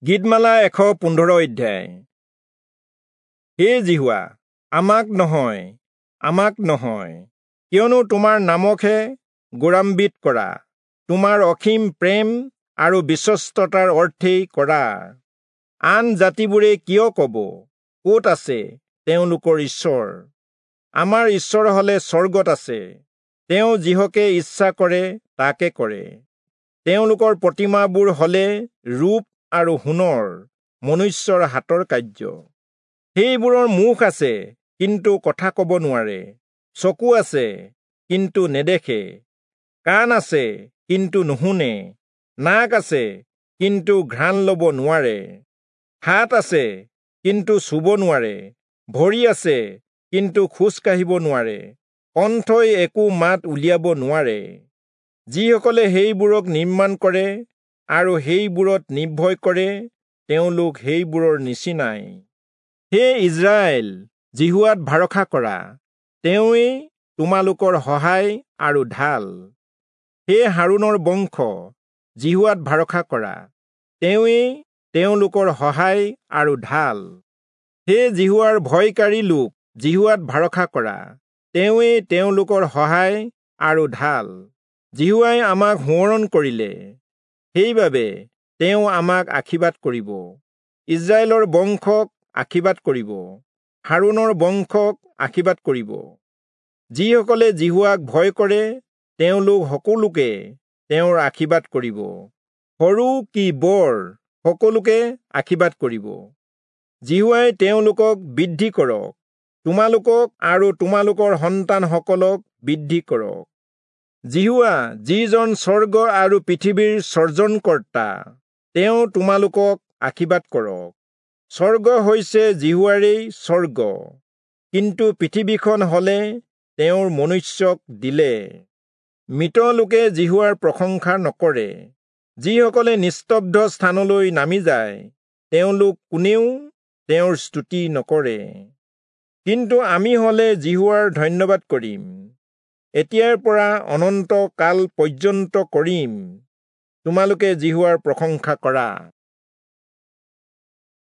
গীতমালা 115 অধ্যায়। হে যিহোৱা, আমাক নহয়, আমাক নহয়, কিয়নো তোমাৰ নামকহে গৌৰৱান্বিত কৰা, তোমাৰ অসীম প্ৰেম আৰু বিশ্বস্ততাৰ অৰ্থেই কৰা। আন জাতিবোৰে কিয় কব, ক'ত আছে তেওঁলোকৰ ঈশ্বৰ? আমাৰ ঈশ্বৰ হলে স্বৰ্গত আছে, তেওঁ যিহকে ইচ্ছা কৰে তাকে কৰে। তেওঁলোকৰ প্ৰতিমাবোৰ হলে ৰূপ আৰু সোণৰ, মনুষ্যৰ হাতৰ কাৰ্য। সেইবোৰৰ মুখ আছে, কিন্তু কথা কব নোৱাৰে, চকু আছে, কিন্তু নেদেখে, কাণ আছে, কিন্তু নুশুনে, নাক আছে, কিন্তু ঘ্ৰাণ লব নোৱাৰে, হাত আছে, কিন্তু চুব নোৱাৰে, ভৰি আছে, কিন্তু খোজ কাঢ়িব নোৱাৰে, কণ্ঠই একো মাত উলিয়াব নোৱাৰে। যিসকলে সেইবোৰক নিৰ্মাণ কৰে আৰু সেইবোৰত নিৰ্ভয় কৰে, তেওঁলোক সেইবোৰৰ নিচিনাই। হে ইস্ৰায়েল, যিহোৱাত ভৰসা কৰা, তেওঁৱেই তোমালোকৰ সহায় আৰু ঢাল। হে হাৰোণৰ বংশ, যিহোৱাত ভৰসা কৰা, তেওঁৱেই তেওঁলোকৰ সহায় আৰু ঢাল। হে যিহোৱাৰ ভয়কাৰী লোক, যিহোৱাত ভৰসা কৰা, তেওঁৱেই তেওঁলোকৰ সহায় আৰু ঢাল। যিহোৱাই আমাক সোঁৱৰণ কৰিলে, সেইবাবে তেওঁ আমাক আশীৰ্বাদ কৰিব, ইস্ৰায়েলৰ বংশক আশীৰ্বাদ কৰিব, হাৰোণৰ বংশক আশীৰ্বাদ কৰিব। যিসকলে যিহোৱাক ভয় কৰে, তেওঁলোক সকলোকে তেওঁৰ আশীৰ্বাদ কৰিব, সৰু কি বৰ সকলোকে আশীৰ্বাদ কৰিব। যিহোৱাই তেওঁলোকক বৃদ্ধি কৰক, তোমালোকক আৰু তোমালোকৰ সন্তানসকলক বৃদ্ধি কৰক। যিহোৱা, যিজন স্বৰ্গ আৰু পৃথিৱীৰ সৰ্জনকৰ্তা, তেওঁ তোমালোকক আশীৰ্বাদ কৰক। স্বৰ্গ হৈছে যিহোৱাৰেই স্বৰ্গ, কিন্তু পৃথিৱীখন হলে তেওঁৰ মনুষ্যক দিলে। মৃত লোকে যিহোৱাৰ প্ৰশংসা নকৰে, যিসকলে নিস্তব্ধ স্থানলৈ নামি যায়, তেওঁলোক কোনেও তেওঁৰ স্তুতি নকৰে। কিন্তু আমি হলে যিহোৱাৰ ধন্যবাদ কৰিম, এতিয়াৰ পৰা অনন্ত কাল পৰ্যন্ত কৰিম। তোমালোকে যিহোৱাৰ প্ৰশংসা কৰা।